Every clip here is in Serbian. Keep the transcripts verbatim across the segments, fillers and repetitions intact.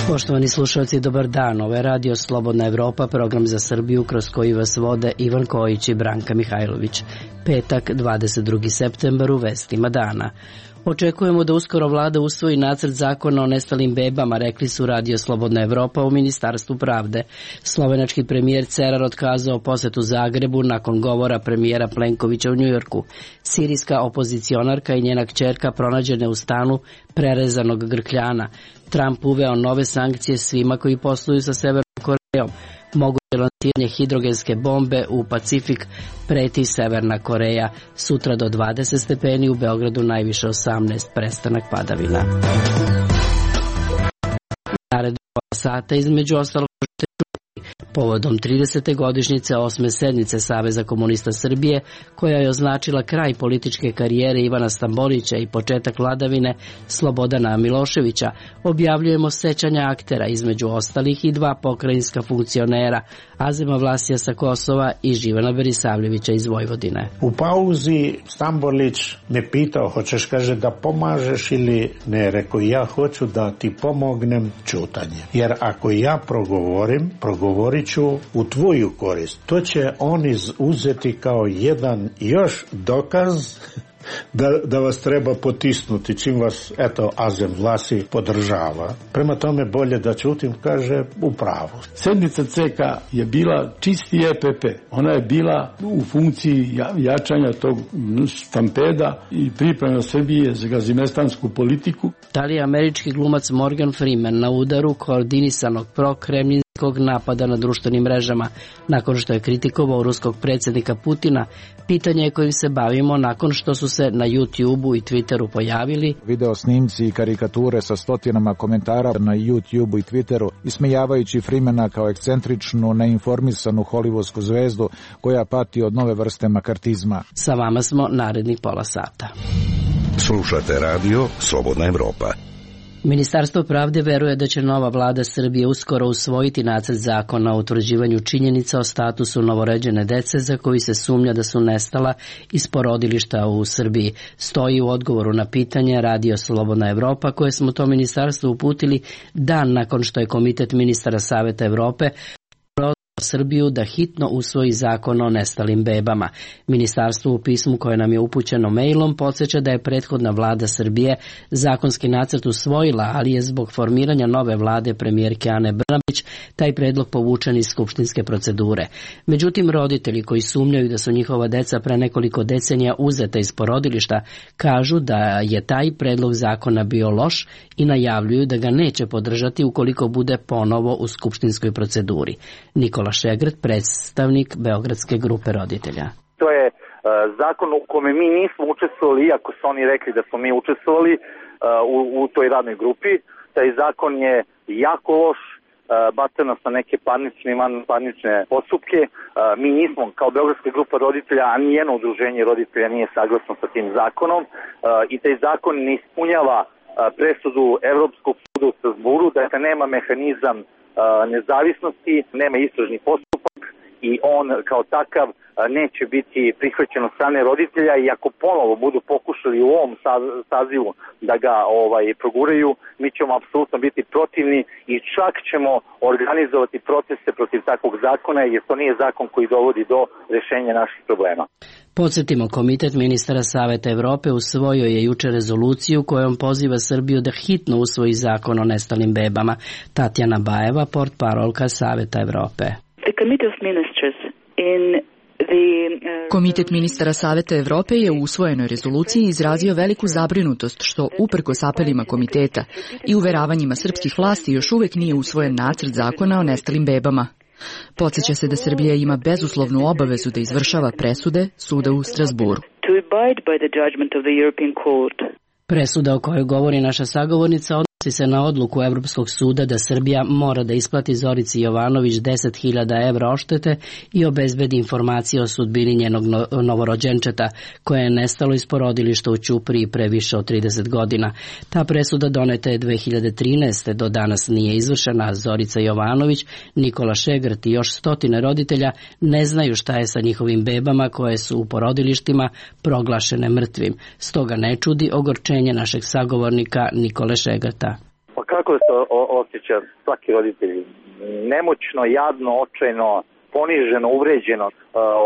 Poštovani slušalci, dobar dan. Ovo je Radio Slobodna Evropa, program za Srbiju kroz koji vas vode Ivan Kojić i Branka Mihajlović. Petak, dvadeset drugi septembar, u vestima dana. Očekujemo da uskoro vlada usvoji nacrt zakona o nestalim bebama, rekli su Radio Slobodna Evropa u Ministarstvu pravde. Slovenački premijer Cerar otkazao posetu Zagrebu nakon govora premijera Plenkovića u Njujorku. Sirijska opozicionarka i njena kćerka pronađene u stanu prerezanog grkljana. Trump uveo nove sankcije svima koji posluju sa Severnom Korejom. Moguće lansiranje hidrogenske bombe u Pacifik, preti Severna Koreja. Sutra do dvadeset stepeni, u Beogradu najviše osamnaest, prestanak padavina. Naredno sata između ostalog povodom tridesete godišnjice osme sednice Saveza komunista Srbije, koja je označila kraj političke karijere Ivana Stambolića i početak vladavine Slobodana Miloševića, objavljujemo sećanja aktera, između ostalih i dva pokrajinska funkcionera, Azema Vlasija sa Kosova i Živana Berisavljevića iz Vojvodine. U pauzi Stambolić me pitao, hoćeš, kaže, da pomažeš ili ne? Rekao, ja hoću da ti pomognem ćutanje. Jer ako ja progovorim, progovorit ću u tvoju korist. To će oni uzeti kao jedan još dokaz da, da vas treba potisnuti, čim vas, eto, Azem Vlasi podržava. Prema tome bolje da ćutim, kaže, u pravu. Sednica C K je bila čisti E P P. Ona je bila u funkciji jačanja tog stampeda i priprema Srbije za gazimestansku politiku. Da li je američki glumac Morgan Freeman na udaru koordinisanog prokremljinskog napada na društvenim mrežama nakon što je kritikovao ruskog predsjednika Putina? Pitanje je kojim se bavimo nakon što su se na YouTubeu i Twitteru pojavili video snimci i karikature sa stotinama komentara na YouTubeu i Twitteru, ismejavajući Freemana kao ekscentričnu, neinformisanu hollywoodsku zvezdu koja pati od nove vrste makartizma. Sa vama smo narednih pola sata. Slušate Radio Slobodna Evropa. Ministarstvo pravde veruje da će nova vlada Srbije uskoro usvojiti nacrt zakona o utvrđivanju činjenica o statusu novorođene dece za koji se sumnja da su nestala iz porodilišta u Srbiji. Stoji u odgovoru na pitanje Radio Slobodna Evropa koje smo to ministarstvo uputili dan nakon što je Komitet ministara Saveta Evrope Srbiju da hitno usvoji zakon o nestalim bebama. Ministarstvo u pismu koje nam je upućeno mailom podsjeća da je prethodna vlada Srbije zakonski nacrt usvojila, ali je zbog formiranja nove vlade premijerke Ane Brnabić taj predlog povučen iz skupštinske procedure. Međutim, roditelji koji sumnjaju da su njihova deca pre nekoliko decenija uzeta iz porodilišta kažu da je taj predlog zakona bio loš i najavljuju da ga neće podržati ukoliko bude ponovo u skupštinskoj proceduri. Nikola Šegrt, predstavnik Beogradske grupe roditelja. To je uh, zakon u kome mi nismo učestvovali, iako su oni rekli da smo mi učestvovali uh, u, u toj radnoj grupi. Taj zakon je jako loš, uh, baca nas na neke parnične i parnične postupke. Uh, mi nismo, kao Beogradska grupa roditelja, a nijedno udruženje roditelja nije saglasno sa tim zakonom uh, i taj zakon ne ispunjava uh, presudu Evropskog suda u Strasburu, dakle nema mehanizam nezavisnosti, nema istražni postupak i on kao takav neće biti prihvaćen od strane roditelja i ako ponovo budu pokušali u ovom sazivu da ga ovaj proguraju, mi ćemo apsolutno biti protivni i čak ćemo organizovati proteste protiv takvog zakona jer to nije zakon koji dovodi do rešenja naših problema. Podsjetimo, Komitet ministara Saveta Evrope usvojio je juče rezoluciju kojom poziva Srbiju da hitno usvoji zakon o nestalim bebama. Tatjana Bajeva, portparolka Saveta Evrope. Komitet ministara Saveta Evrope je u usvojenoj rezoluciji izrazio veliku zabrinutost što, uprkos apelima komiteta i uveravanjima srpskih vlasti, još uvek nije usvojen nacrt zakona o nestalim bebama. Podsjeća se da Srbija ima bezuslovnu obavezu da izvršava presude suda u Strasburu. Presuda o kojoj govori naša sagovornica se na odluku Evropskog suda da Srbija mora da isplati Zorici Jovanović deset hiljada evra odštete i obezbedi informacije o sudbini njenog novorođenčeta, koje je nestalo iz porodilišta u Ćupriji pre više od trideset godina. Ta presuda doneta je dve hiljade trinaeste. Do danas nije izvršena. Zorica Jovanović, Nikola Šegrt i još stotine roditelja ne znaju šta je sa njihovim bebama koje su u porodilištima proglašene mrtvim. Stoga ne čudi ogorčenje našeg sagovornika Nikole Šegrta. Pa kako se osjeća svaki roditelj? Nemoćno, jadno, očajno, poniženo, uvređeno.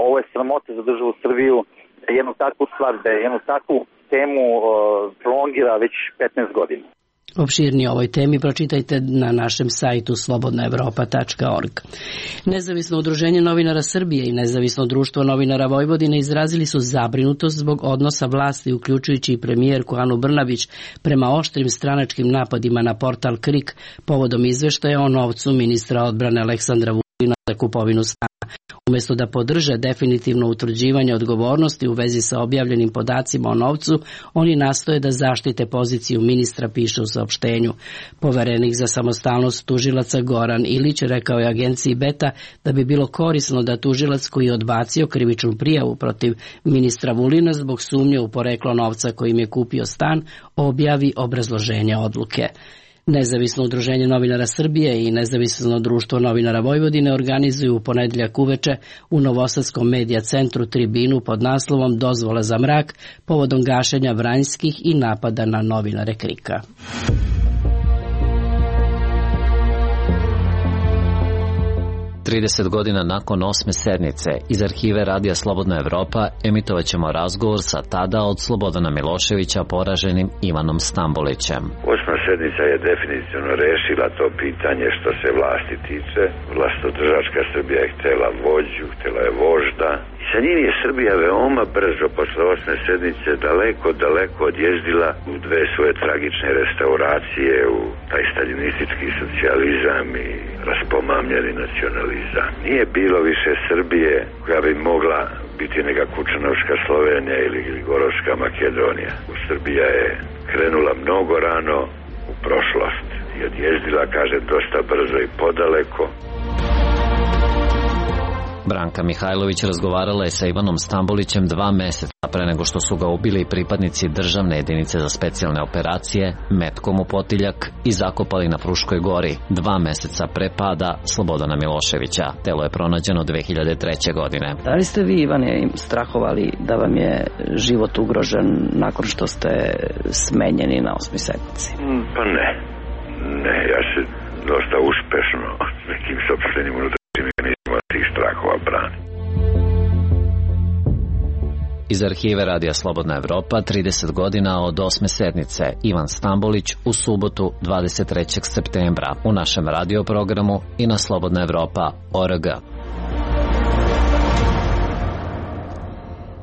Ovo je sramota za državu Srbiju, da jednu takvu stvar, da jednu takvu temu prolongira već petnaest godina. Opširnije o ovoj temi pročitajte na našem sajtu slobodna evropa tačka org. Nezavisno udruženje novinara Srbije i Nezavisno društvo novinara Vojvodine izrazili su zabrinutost zbog odnosa vlasti, uključujući i premijerku Anu Brnabić, prema oštrim stranačkim napadima na portal Krik povodom izveštaja o novcu ministra odbrane Aleksandra Vulina za kupovinu stana. Umesto da podrže definitivno utvrđivanje odgovornosti u vezi sa objavljenim podacima o novcu, oni nastoje da zaštite poziciju ministra, piše u saopštenju. Poverenik za samostalnost tužilaca Goran Ilić rekao je agenciji Beta da bi bilo korisno da tužilac koji je odbacio krivičnu prijavu protiv ministra Vulina zbog sumnje u poreklo novca kojim je kupio stan, objavi obrazloženje odluke. Nezavisno udruženje novinara Srbije i Nezavisno društvo novinara Vojvodine organizuju u ponedeljak uveče u Novosadskom medija centru tribinu pod naslovom Dozvola za mrak povodom gašenja Vranjskih i napada na novinare Krika. trideset godina nakon osme sednice iz arhive Radija Slobodna Evropa emitovat ćemo razgovor sa tada od Slobodana Miloševića poraženim Ivanom Stambolićem. Osma sednica je definitivno rešila to pitanje što se vlasti tiče. Vlastodržačka Srbija je htela vođu, htela je vožda. I sa njim je Srbija veoma brzo posle osme sednice daleko, daleko odježdila u dve svoje tragične restauracije, u taj staljinistički socijalizam i raspomamljeni nacionalizam. Nije bilo više Srbije koja bi mogla biti neka Kučanovška Slovenija ili Gorovska Makedonija. Srbija je krenula mnogo rano u prošlost i odjezdila, kaže, dosta brzo i podaleko. Branka Mihajlović razgovarala je sa Ivanom Stambolićem dva meseca pre nego što su ga ubili pripadnici državne jedinice za specijalne operacije metkom u potiljak i zakopali na Fruškoj gori dva meseca pre pada Slobodana Miloševića. Telo je pronađeno dve hiljade treće. godine. Da li ste vi, Ivane, strahovali da vam je život ugrožen nakon što ste smenjeni na osmoj sednici? Pa ne. Ne, ja se dosta uspešno s nekim sopstvenim unutrašnjim mehanizmima tih strahova brani. Iz arhive Radija Slobodna Evropa, trideset godina od osme sednice, Ivan Stambolić u subotu dvadeset trećeg septembra u našem radioprogramu i na slobodna evropa tačka org.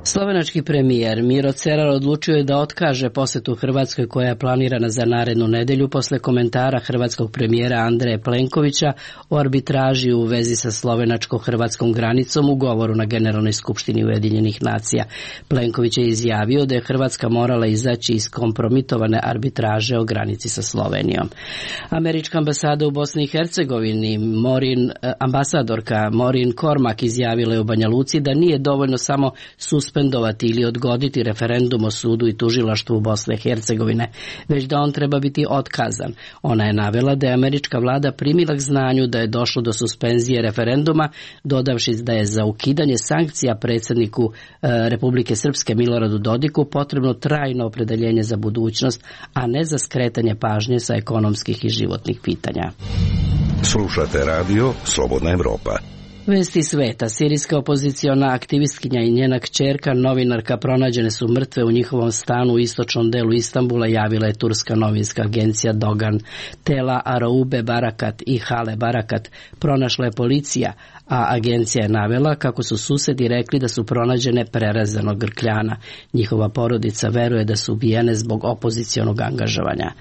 Slovenački premijer Miro Cerar odlučio je da otkaže posetu Hrvatskoj koja je planirana za narednu nedelju posle komentara hrvatskog premijera Andreja Plenkovića o arbitraži u vezi sa slovenačko-hrvatskom granicom u govoru na Generalnoj skupštini Ujedinjenih nacija. Plenković je izjavio da je Hrvatska morala izaći iz kompromitovane arbitraže o granici sa Slovenijom. Američka ambasada u Bosni i Hercegovini, Morin, ambasadorka Morin Kormak, izjavila je u Banja Luci da nije dovoljno samo suspendovati ili odgoditi referendum o sudu i tužilaštvu u Bosne i Hercegovine, već da on treba biti otkazan. Ona je navela da je američka vlada primila k znanju da je došlo do suspenzije referenduma, dodavši da je za ukidanje sankcija predsjedniku e, Republike Srpske Miloradu Dodiku potrebno trajno opredeljenje za budućnost, a ne za skretanje pažnje sa ekonomskih i životnih pitanja. Slušate radio Slobodna Evropa. Vesti sveta. Sirijska opoziciona aktivistkinja i njena kćerka, novinarka, pronađene su mrtve u njihovom stanu u istočnom delu Istanbula, javila je turska novinska agencija Dogan. Tela Araube Barakat i Hale Barakat pronašla je policija, a agencija je navela kako su susedi rekli da su pronađene prerazanog grkljana. Njihova porodica veruje da su ubijene zbog opozicionog angažovanja.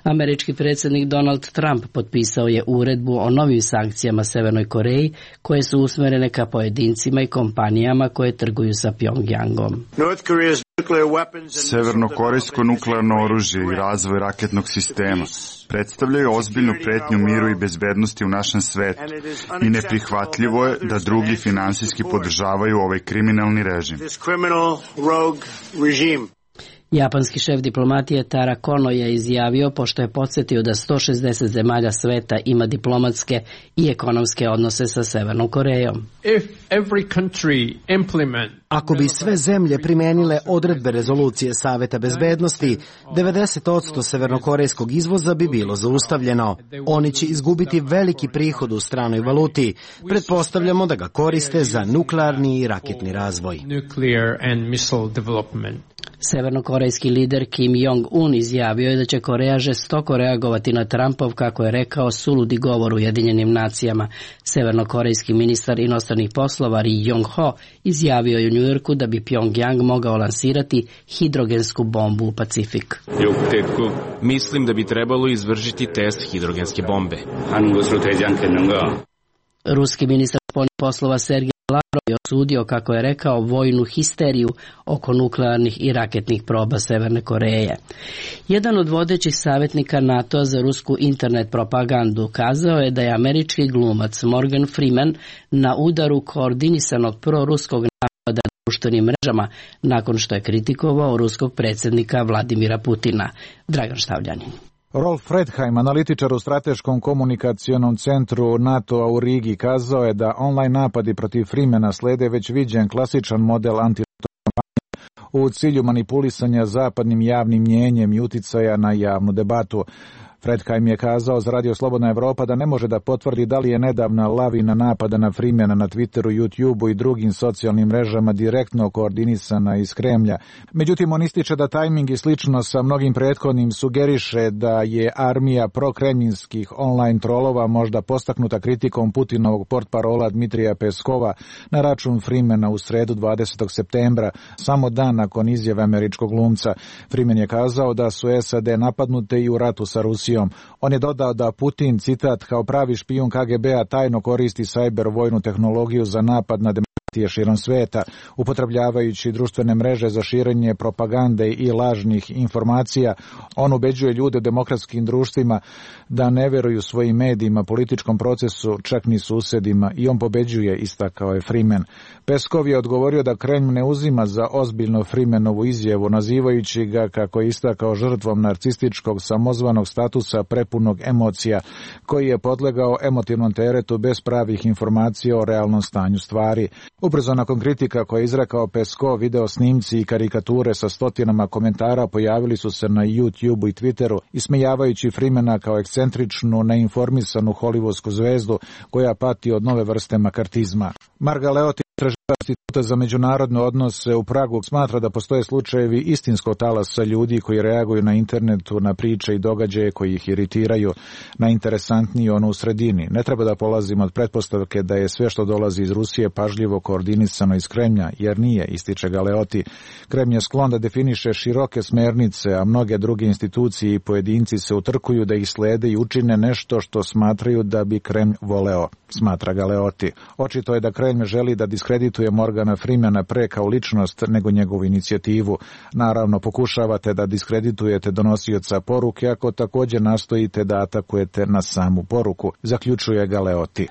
Američki predsjednik Donald Trump potpisao je uredbu o novim sankcijama Severnoj Koreji koje su usmerene ka pojedincima i kompanijama koje trguju sa Pjongjangom. Severnokorejsko nuklearno oružje i razvoj raketnog sistema predstavljaju ozbiljnu pretnju miru i bezbednosti u našem svetu i neprihvatljivo je da drugi finansijski podržavaju ovaj kriminalni režim. Japanski šef diplomatije Tara Kono je izjavio, pošto je podsjetio da sto šezdeset zemalja sveta ima diplomatske i ekonomske odnose sa Severnom Korejom. Ako bi sve zemlje primenile odredbe rezolucije Saveta bezbednosti, devedeset posto severnokorejskog izvoza bi bilo zaustavljeno. Oni će izgubiti veliki prihod u stranoj valuti. Pretpostavljamo da ga koriste za nuklearni i raketni razvoj. Severnokorejski lider Kim Jong-un izjavio je da će Koreja žestoko reagovati na Trumpov, kako je rekao, suludi govor Ujedinjenim nacijama. Severnokorejski ministar inostranih poslova Ri Yong-ho izjavio je u Njujorku da bi Pyongyang mogao lansirati hidrogensku bombu u Pacifik. Mislim da bi trebalo izvršiti test hidrogenske bombe. Ruski ministar spoljnih poslova Sergej Lavrov je osudio, kako je rekao, vojnu histeriju oko nuklearnih i raketnih proba Severne Koreje. Jedan od vodećih savjetnika NATO za rusku internet propagandu kazao je da je američki glumac Morgan Freeman na udaru koordinisanog proruskog napada na društvenim mrežama nakon što je kritikovao ruskog predsjednika Vladimira Putina. Dragan Štavljanin. Rolf Fredheim, analitičar u strateškom komunikacionom centru NATO-a u Rigi, kazao je da online napadi protiv Freemana slede već viđen klasičan model antikampanje u cilju manipulisanja zapadnim javnim mnjenjem i uticaja na javnu debatu. Fredheim je kazao za Radio Slobodna Evropa da ne može da potvrdi da li je nedavna lavina napada na Freemana na Twitteru, YouTubeu i drugim socijalnim mrežama direktno koordinisana iz Kremlja. Međutim, on ističe da tajming i slično sa mnogim prethodnim sugeriše da je armija prokremljinskih online trolova možda postaknuta kritikom Putinovog portparola Dmitrija Peskova na račun Freemana u sredu dvadesetog septembra, samo dan nakon izjave američkog glumca. Freeman je kazao da su S A D napadnute i u ratu sa Rusijom. On je dodao da Putin, citat, kao pravi špijun K G B-a tajno koristi sajber vojnu tehnologiju za napad na demokratije širom sveta, upotrebljavajući društvene mreže za širenje propagande i lažnih informacija. On ubeđuje ljude u demokratskim društvima da ne veruju svojim medijima, političkom procesu, čak ni susedima, i on pobeđuje, istakao je Freeman. Peskov je odgovorio da Kremlj ne uzima za ozbiljno Freemanovu izjavu, nazivajući ga, kako je istakao, žrtvom narcističkog samozvanog statusa prepunog emocija, koji je podlegao emotivnom teretu bez pravih informacija o realnom stanju stvari. Ubrzo nakon kritika koje je izrekao Peskov, video snimci i karikature sa stotinama komentara pojavili su se na YouTubeu i Twitteru, ismejavajući Freemana kao ekscentričnu, neinformisanu hollywoodsku zvezdu koja pati od nove vrste makartizma. Marga Leoti, istraživač Instituta za međunarodne odnose u Pragu, smatra da postoje slučajevi istinskog talasa ljudi koji reaguju na internetu na priče i događaje koji ih iritiraju. Najinteresantniji ono u sredini. Ne treba da polazimo od pretpostavke da je sve što dolazi iz Rusije pažljivo koordinisano iz Kremlja, jer nije, ističe Galeoti. Kremlj je sklon da definiše široke smernice, a mnoge druge institucije i pojedinci se utrkuju da ih slede i učine nešto što smatraju da bi Kremlj voleo, smatra Galeoti. Očito je da Kremlj želi da diskredituje Morgana Freemana pre kao ličnost nego njegovu inicijativu. Naravno, pokušavate da diskreditujete donosioca poruke ako također nastojite da atakujete na samu poruku, zaključuje Galeoti.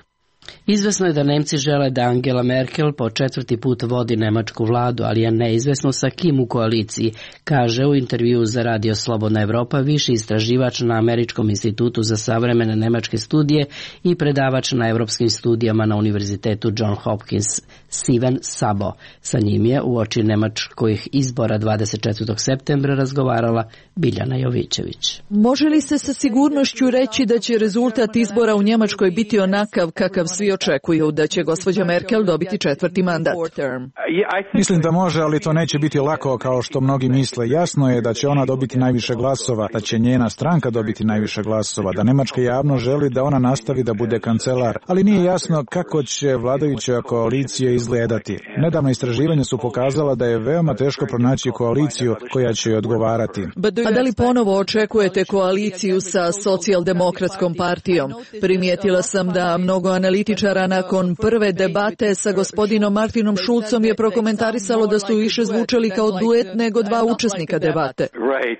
Izvesno je da Nemci žele da Angela Merkel po četvrti put vodi nemačku vladu, ali je neizvesno sa kim u koaliciji, kaže u intervjuu za Radio Slobodna Evropa viši istraživač na Američkom institutu za savremene nemačke studije i predavač na evropskim studijama na Univerzitetu John Hopkins Steven Sabo. Sa njim je uoči nemačkih izbora dvadeset četvrtog septembra razgovarala Biljana Jovićević. Može li se sa sigurnošću reći da će rezultat izbora u Njemačkoj biti onakav kakav svi očekuju, da će gospođa Merkel dobiti četvrti mandat? Mislim da može, ali to neće biti lako kao što mnogi misle. Jasno je da će ona dobiti najviše glasova, da će njena stranka dobiti najviše glasova, da nemačka javnost želi da ona nastavi da bude kancelar, ali nije jasno kako će vladajuća koalicija izgledati. Nedavno istraživanja su pokazala da je veoma teško pronaći koaliciju koja će joj odgovarati. A da li ponovo očekujete koaliciju sa socijaldemokratskom partijom? Primijetila sam da mnogo analitičara političara nakon prve debate sa gospodinom Martinom Šulcom je prokomentarisalo da su više zvučali kao duet nego dva učesnika debate.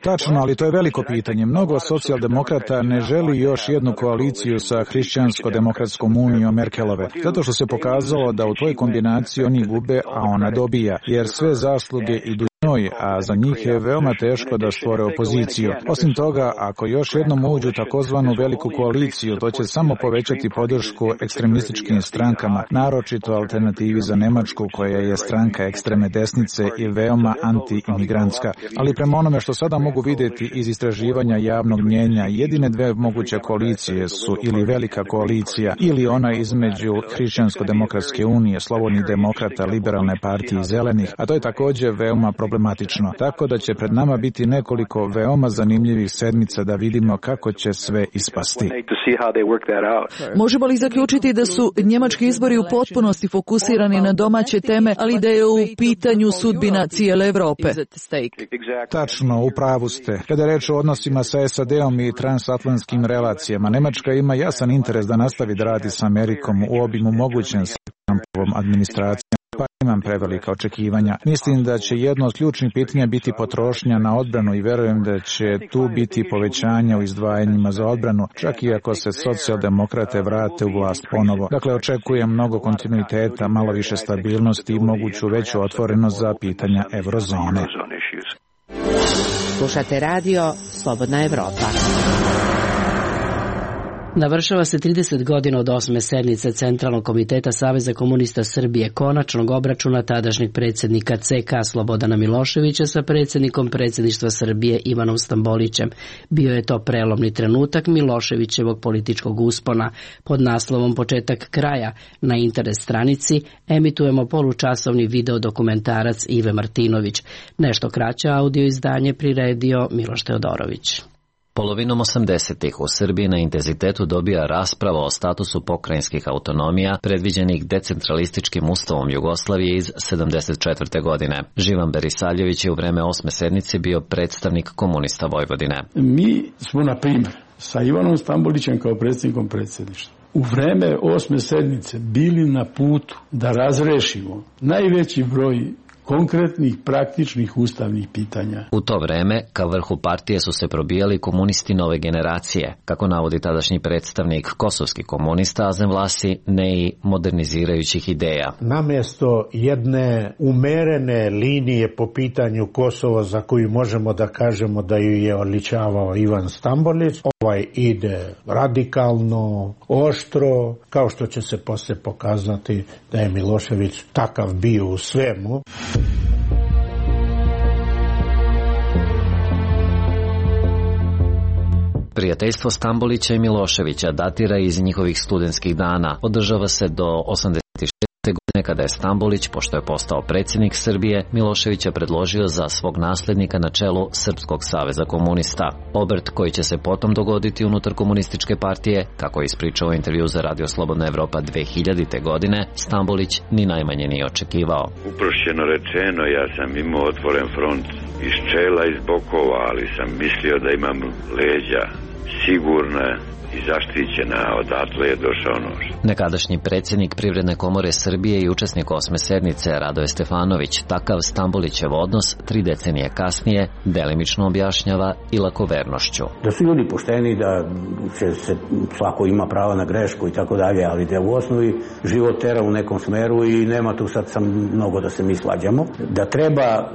Tačno, ali to je veliko pitanje. Mnogo socijaldemokrata ne želi još jednu koaliciju sa Hrišćansko-demokratskom unijom Merkelove, zato što se pokazalo da u toj kombinaciji oni gube, a ona dobija, jer sve zasluge idu njoj, a za njih je veoma teško da stvore opoziciju. Osim toga, ako još jednom uđu takozvanu veliku koaliciju, to će samo povećati podršku ekstremističkim strankama, naročito Alternativi za Nemačku, koja je stranka ekstremne desnice i veoma anti-imigrantska. Ali prema onome što sada mogu vidjeti iz istraživanja javnog mnjenja, jedine dve moguće koalicije su ili velika koalicija ili ona između Hrišćansko-demokratske unije, Slobodnih demokrata, Liberalne partije i Zelenih, a to je također veoma problematično. Tako da će pred nama biti nekoliko veoma zanimljivih sedmica da vidimo kako će sve ispasti. Možemo li zaključiti da su njemački izbori u potpunosti fokusirani na domaće teme, ali da je u pitanju sudbina cijele Evrope? Tačno, u pravu ste. Kada je reč o odnosima sa S A D-om i transatlantskim relacijama, Nemačka ima jasan interes da nastavi da radi s Amerikom u obimu mogućem s Trumpovom administracijom, pa imam prevelika očekivanja. Mislim da će jedno od ključnih pitanja biti potrošnja na odbranu i verujem da će tu biti povećanja u izdvajanjima za odbranu, čak i ako se socijaldemokrate vrate u vlast ponovo. Dakle, očekujem mnogo kontinuiteta, malo više stabilnosti i moguću veću otvorenost za pitanja eurozone. Slušate radio Slobodna Evropa. Navršava se trideset godina od osme sednice Centralnog komiteta Saveza komunista Srbije, konačnog obračuna tadašnjeg predsjednika C K Slobodana Miloševića sa predsjednikom predsjedništva Srbije Ivanom Stambolićem. Bio je to prelomni trenutak Miloševićevog političkog uspona. Pod naslovom Početak kraja na internet stranici emitujemo polučasovni video dokumentarac Ive Martinović. Nešto kraće audio izdanje priredio Miloš Teodorović. Polovinom osamdesetih u Srbiji na intenzitetu dobija rasprava o statusu pokrajinskih autonomija predviđenih decentralističkim ustavom Jugoslavije iz sedamdeset četvrte. godine. Živan Berisaljević je u vreme osme sednice bio predstavnik komunista Vojvodine. Mi smo, na primjer, sa Ivanom Stambolićem kao predsjednikom predsjedništva u vreme osme sednice bili na putu da razrešimo najveći broj konkretnih, praktičnih ustavnih pitanja. U to vreme, ka vrhu partije su se probijali komunisti nove generacije, kako navodi tadašnji predstavnik kosovski komunista Azem Vlasi, ne i modernizirajućih ideja. Namjesto jedne umerene linije po pitanju Kosova za koju možemo da kažemo da ju je odličavao Ivan Stambolić, ovaj ide radikalno, oštro, kao što će se poslije pokazati da je Milošević takav bio u svemu. Prijateljstvo Stambolića i Miloševića datira iz njihovih studentskih dana. Održava se do osamdeset šeste. godine kada je Stambolić, pošto je postao predsjednik Srbije, Miloševića predložio za svog naslednika na čelu Srpskog saveza komunista. Obrt koji će se potom dogoditi unutar komunističke partije, kako je ispričao intervju za Radio Slobodna Evropa dve hiljadite. godine, Stambolić ni najmanje nije očekivao. Uprošćeno rečeno, ja sam imao otvoren front iz čela, iz bokova, ali sam mislio da imam leđa sigurne i zaštićena, odatle je došao nož. Nekadašnji predsjednik Privredne komore Srbije i učesnik osme sednice Radoje Stefanović takav Stambolićev odnos tri decenije kasnije delimično objašnjava i lakovernošću. Da su ljudi pošteni, da će se, svako ima prava na grešku i tako dalje, ali da u osnovi život tera u nekom smeru i nema tu sad sam mnogo da se mi svađamo. Da treba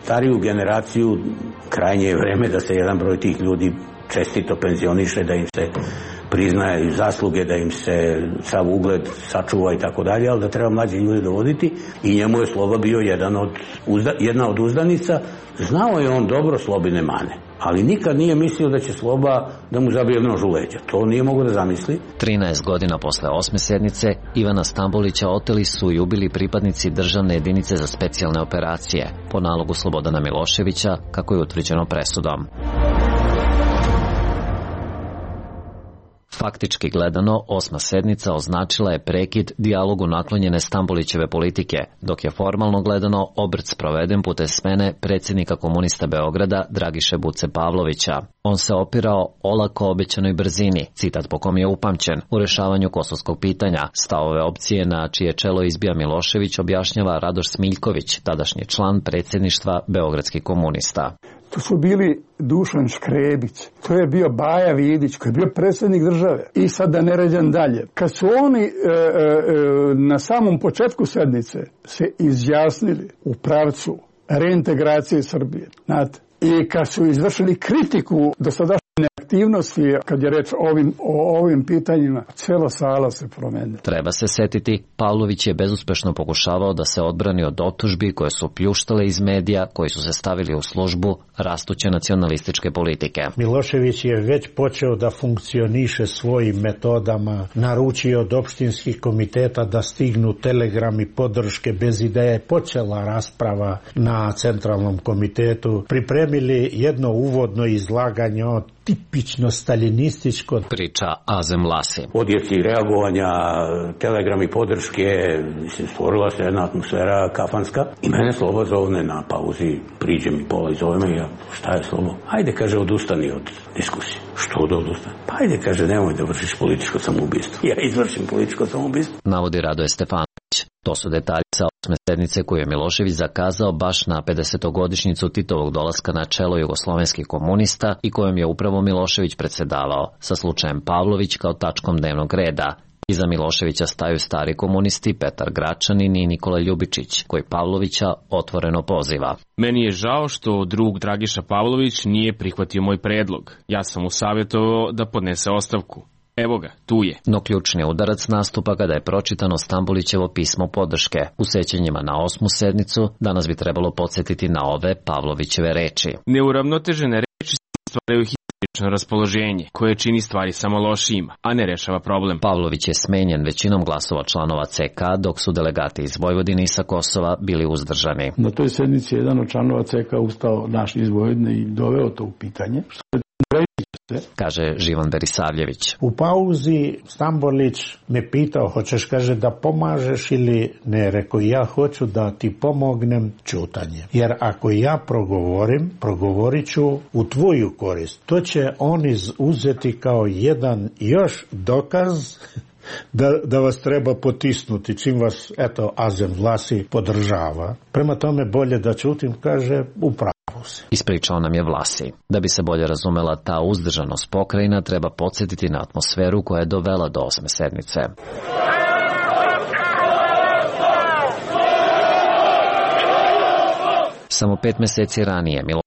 stariju generaciju, krajnje je vreme da se jedan broj tih ljudi čestito penzioniše, da im se priznaje zasluge, da im se sav ugled sačuva i tako dalje, ali da treba mlađi ljudi dovoditi i njemu je Sloba bio jedan od, jedna od uzdanica. Znao je on dobro Slobine mane, ali nikad nije mislio da će Sloba da mu zabije nož u leđa. To nije mogo da zamisli. trinaest godina posle osme sednice Ivana Stambolića oteli su i ubili pripadnici državne jedinice za specijalne operacije po nalogu Slobodana Miloševića, kako je utvrđeno presudom. Faktički gledano, osma sednica označila je prekid dijalogu naklonjene Stambolićeve politike, dok je formalno gledano obrt sproveden putem smene predsjednika komunista Beograda Dragiše Buce Pavlovića. On se opirao olako obećanoj brzini, citat po kom je upamćen, u rešavanju kosovskog pitanja. Stavove opcije na čije čelo izbija Milošević objašnjava Radoš Smiljković, tadašnji član predsjedništva beogradskih komunista. To su bili Dušan Škrebić, to je bio Baja Vidić, koji je bio predsjednik države. I sad da ne ređam dalje. Kad su oni e, e, na samom početku sednice se izjasnili u pravcu reintegracije Srbije, znate, i kad su izvršili kritiku do sadašnje aktivnosti, kad je reč o ovim, o ovim pitanjima, cijela sala se promenila. Treba se setiti, Pavlović je bezuspešno pokušavao da se odbrani od optužbi koje su pljuštale iz medija, koji su se stavili u službu rastuće nacionalističke politike. Milošević je već počeo da funkcioniše svojim metodama, naručio od opštinskih komiteta da stignu telegrami podrške bez ideje. Počela rasprava na centralnom komitetu, pripremili jedno uvodno izlaganje o tipično staljinističko, priča Azem Vlasi. Odjeci reagovanja, telegrami podrške, mislim, stvorila se jedna atmosfera kafanska i mene Slobo zovne na pauzi, priđe mi pola i zove me, ja, šta je Slobo? Ajde, kaže, odustani od diskusije. Što da odustani? Pa ajde, kaže, nemoj da vršiš političko samoubistvo. Ja izvršim političko samoubistvo. Navodi Radoje Stefanović. To su detalji sa osme sednice koju je Milošević zakazao baš na pedesetogodišnjicu Titovog dolaska na čelo jugoslovenskih komunista i kojom je upravo Milošević predsedavao, sa slučajem Pavlović kao tačkom dnevnog reda. Iza Miloševića staju stari komunisti Petar Gračanin i Nikola Ljubičić, koji Pavlovića otvoreno poziva. Meni je žao što drug Dragiša Pavlović nije prihvatio moj predlog. Ja sam mu savjetovao da podnese ostavku. Evo ga, tu je. No ključni udarac nastupa kada je pročitano Stambolićevo pismo podrške. U sećanjima na osmu sednicu danas bi trebalo podsjetiti na ove Pavlovićeve reči. Neuravnotežene reči stvaraju histerično raspoloženje, koje čini stvari samo lošijima, a ne rešava problem. Pavlović je smenjen većinom glasova članova C K, dok su delegati iz Vojvodine i sa Kosova bili uzdržani. Na toj sednici jedan od članova C K ustao naš iz Vojvodine i doveo to u pitanje, kaže Živan Berisavljević. U pauzi Stambolić me pitao, hoćeš, kaže, da pomažeš ili ne? Rekao, ja hoću da ti pomognem ćutanje. Jer ako ja progovorim, progovorit ću u tvoju korist. To će oni uzeti kao jedan još dokaz Da, da vas treba potisnuti, čim vas, eto, Azem Vlasi podržava. Prema tome, bolje da ćutim, kaže, upravo se. Ispričao nam je Vlasi. Da bi se bolje razumela ta uzdržanost pokrajina, treba podsjetiti na atmosferu koja je dovela do osme sednice. Samo pet meseci ranije Milošević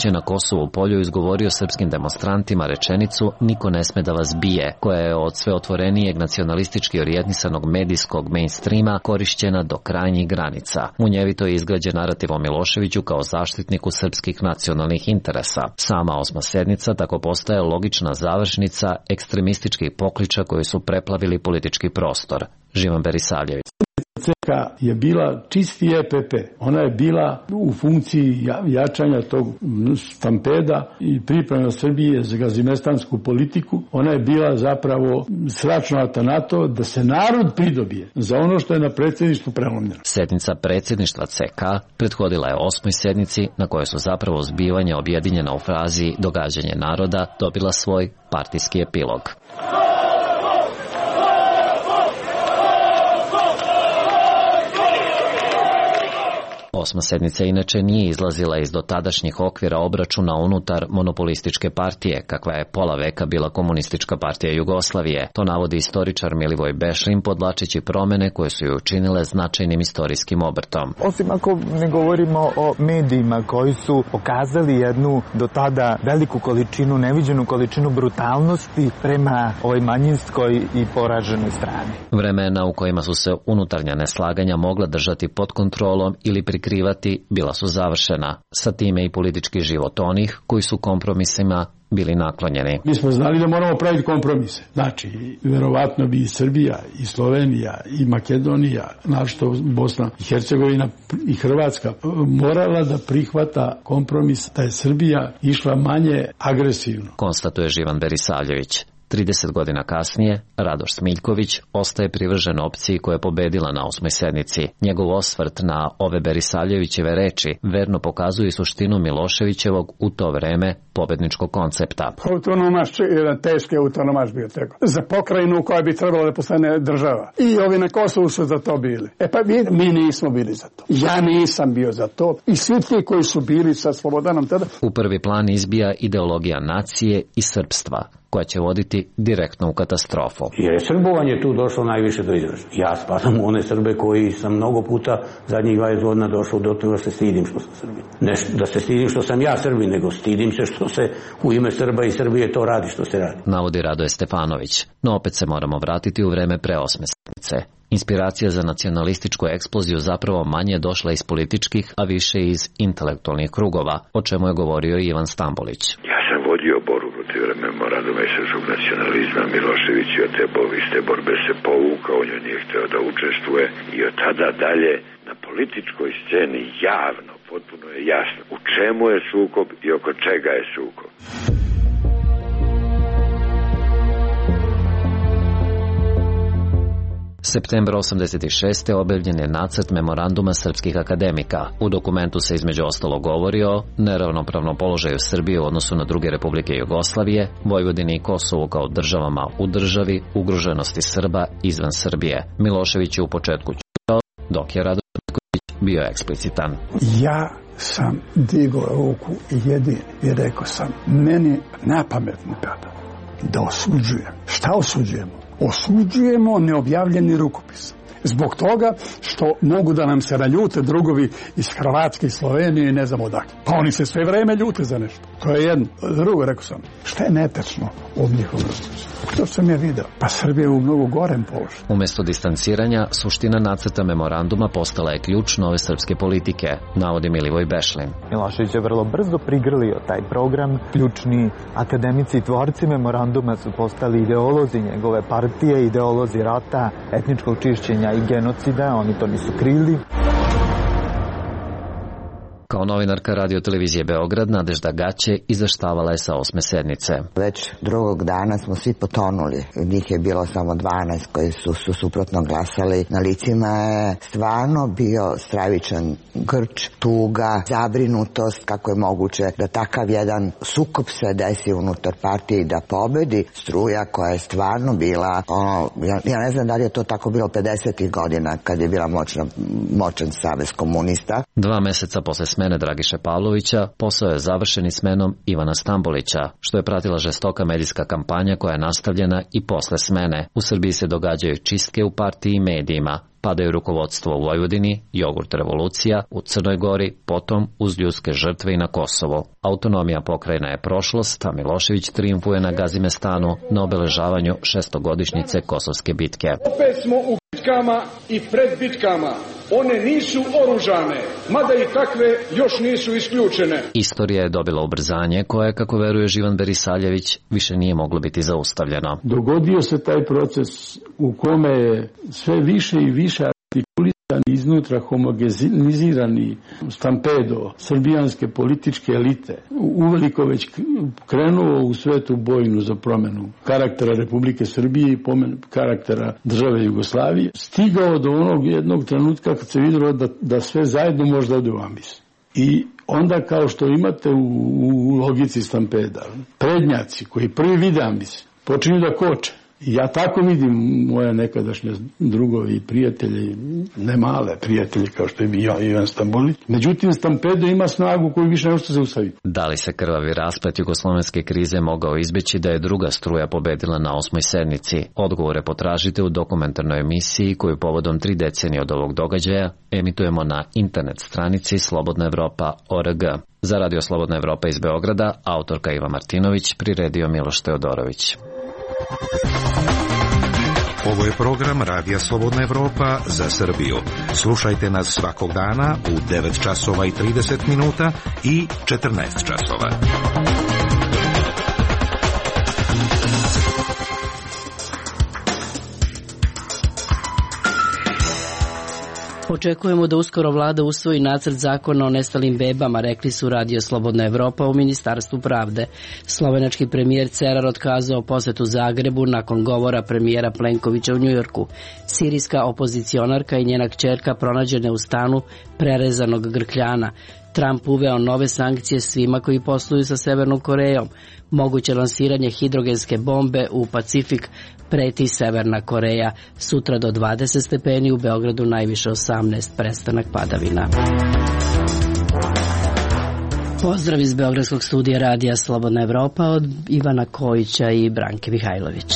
je na Kosovu polju izgovorio srpskim demonstrantima rečenicu "Niko ne sme da vas bije", koja je od sve otvorenijeg nacionalistički orijentisanog medijskog mainstreama korišćena do krajnjih granica. Munjevito je izgrađen narativ o Miloševiću kao zaštitniku srpskih nacionalnih interesa. Sama osma sednica tako postaje logična završnica ekstremističkih pokliča koji su preplavili politički prostor. Živan Berisavljević. C K je bila čisti E P P. Ona je bila u funkciji jačanja tog stampeda i priprema Srbije za gazimestansku politiku. Ona je bila zapravo sračnata na to da se narod pridobije za ono što je na predsjedništvu prelomljeno. Sednica predsjedništva C K prethodila je osmoj sednici na kojoj su zapravo zbivanja objedinjena u frazi "događanje naroda" dobila svoj partijski epilog. Osma sednica inače nije izlazila iz dotadašnjih okvira obračuna unutar monopolističke partije, kakva je pola veka bila Komunistička partija Jugoslavije. To navodi istoričar Milivoj Bešlin, podlačići promene koje su ju učinile značajnim istorijskim obrtom. Osim ako ne govorimo o medijima koji su pokazali jednu do tada veliku količinu, neviđenu količinu brutalnosti prema ovoj manjinskoj i poraženoj strani. Vremena u kojima su se unutarnja neslaganja mogla držati pod kontrolom ili prikrivati bila su završena, sa time i politički život onih koji su kompromisima bili naklonjeni. Mi smo znali da moramo praviti kompromise. Znači, verovatno bi i Srbija, i Slovenija, i Makedonija, našto Bosna i Hercegovina i Hrvatska morala da prihvata kompromis da je Srbija išla manje agresivno. Konstatuje Živan Berisavljević. trideset godina kasnije, Radoš Smiljković ostaje privržen opciji koja je pobedila na osmoj sednici. Njegov osvrt na ove Berisavljevićeve reči verno pokazuje suštinu Miloševićevog u to vreme pobedničkog koncepta. Autonomaš, jedan teški autonomaš bio tego. Za pokrajinu koja bi trebala da postane država. I ovi na Kosovu su za to bili. E pa mi, mi nismo bili za to. Ja nisam bio za to. I svi ti koji su bili sa Slobodanom tada. U prvi plan izbija ideologija nacije i srpstva, koja će voditi direktno u katastrofu. Jer je srbovanje tu došlo najviše do izražaja. Ja spadam u one Srbe koji sam mnogo puta zadnjih dvadeset godina došao do toga da se stidim što sam Srbin. Ne da se stidim što sam ja Srbin, nego stidim se što se u ime Srba i Srbije to radi što se radi. Navodi Radoje Stefanović, no opet se moramo vratiti u vreme pre osme sednice. Inspiracija za nacionalističku eksploziju zapravo manje je došla iz političkih, a više iz intelektualnih krugova, o čemu je govorio Ivan Stambolić. Ja sam vodio borbu protiv memoranduma i srpskog nacionalizma. Milošević je od te iste borbe se povukao, on nije hteo da učestvuje i od tada dalje na političkoj sceni javno, potpuno je jasno u čemu je sukob i oko čega je sukob. Septembra osamdeset šeste. objavljen je nacrt memoranduma srpskih akademika. U dokumentu se između ostalo govori o neravnopravnom položaju Srbije u odnosu na druge republike Jugoslavije, Vojvodini i Kosovu kao državama u državi, ugroženosti Srba izvan Srbije. Milošević je u početku ćutao, dok je Radoš Smiljković bio eksplicitan. Ja sam digao ruku jedini i rekao sam, meni napametno pada da osuđujem. Šta osuđujemo? Osuđujemo neobjavljeni rukopis. Zbog toga što mogu da nam se naljute drugovi iz Hrvatske i Slovenije i ne znam odakle. Pa oni se sve vreme ljute za nešto. To je jedno. Drugo, rekao sam, šta je netečno od njihovog rukopisa? To sam je video. Pa Srbija je u mnogo gorem položaju. Umesto distanciranja, suština nacrta memoranduma postala je ključ nove srpske politike, navodi Milivoj Bešlin. Milošević je vrlo brzo prigrlio taj program. Ključni akademici i tvorci memoranduma su postali ideolozi njegove partije, ideolozi rata, etničkog čišćenja i genocida, oni to nisu krili. Kao novinarka Radio televizije Beograd, Nadežda Gaće izveštavala je sa osme sednice. Već drugog dana smo svi potonuli. Njih je bilo samo dvanaest koji su, su suprotno glasali. Na licima je stvarno bio stravičan grč, tuga, zabrinutost kako je moguće da takav jedan sukob se desi unutar partije i da pobedi struja koja je stvarno bila, ono, ja, ja ne znam da li je to tako bilo pedesetih godina kad je bila moćna, moćan savez komunista. Dva meseca posle smene Dragiše Pavlovića, posao je završen i smenom Ivana Stambolića, što je pratila žestoka medijska kampanja koja je nastavljena i posle smene. U Srbiji se događaju čistke u partiji i medijima, padaju rukovodstvo u Vojvodini, jogurt revolucija, u Crnoj Gori, potom uz ljudske žrtve i na Kosovo. Autonomija pokrajina je prošlost, a Milošević trijumfuje na Gazimestanu na obeležavanju šestogodišnjice Kosovske bitke. Opet smo u bitkama i pred bitkama. One nisu oružane, mada i takve još nisu isključene. Istorija je dobila ubrzanje koje, kako veruje Živan Berisavljević, više nije moglo biti zaustavljeno. Dogodio se taj proces u kome je sve više i više artikulisan iznutra homogenizirani stampedo srbijanske političke elite uveliko već krenuo u svetu bojnu za promenu karaktera Republike Srbije i karaktera države Jugoslavije, stigao do onog jednog trenutka kad se vidjelo da, da sve zajedno može da ode u ambis. I onda, kao što imate u, u logici stampeda, prednjaci koji prvi vide ambis počinju da koče. Ja tako vidim moje nekadašnje drugovi i prijatelji, ne male prijatelji kao što je bio Ivan Stambolić. Međutim, stampedo ima snagu koju više ne može se zaustaviti. Da li se krvavi rasplet jugoslovenske krize mogao izbeći da je druga struja pobedila na osmoj sednici? Odgovore potražite u dokumentarnoj emisiji koju povodom tri decenije od ovog događaja emitujemo na internet stranici Slobodna Evropa точка org. Za Radio Slobodna Evropa iz Beograda, autorka Iva Martinović, priredio Miloš Teodorović. Ovo je program Radija Slobodna Evropa za Srbiju. Slušajte nas svakog dana u devet časova i trideset minuta i četrnaest časova. Očekujemo da uskoro vlada usvoji nacrt zakona o nestalim bebama, rekli su Radio Slobodna Evropa u Ministarstvu pravde. Slovenački premijer Cerar otkazao posetu Zagrebu nakon govora premijera Plenkovića u Njujorku. Sirijska opozicionarka i njena kćerka pronađene u stanu prerezanog grkljana. Trump uveo nove sankcije svima koji posluju sa Severnom Korejom. Moguće lansiranje hidrogenske bombe u Pacifik preti Severna Koreja. Sutra do dvadeset stepeni, u Beogradu najviše osamnaest, prestanak padavina. Pozdrav iz Beogradskog studija Radija Slobodna Evropa od Ivana Kojića i Branke Mihajlović.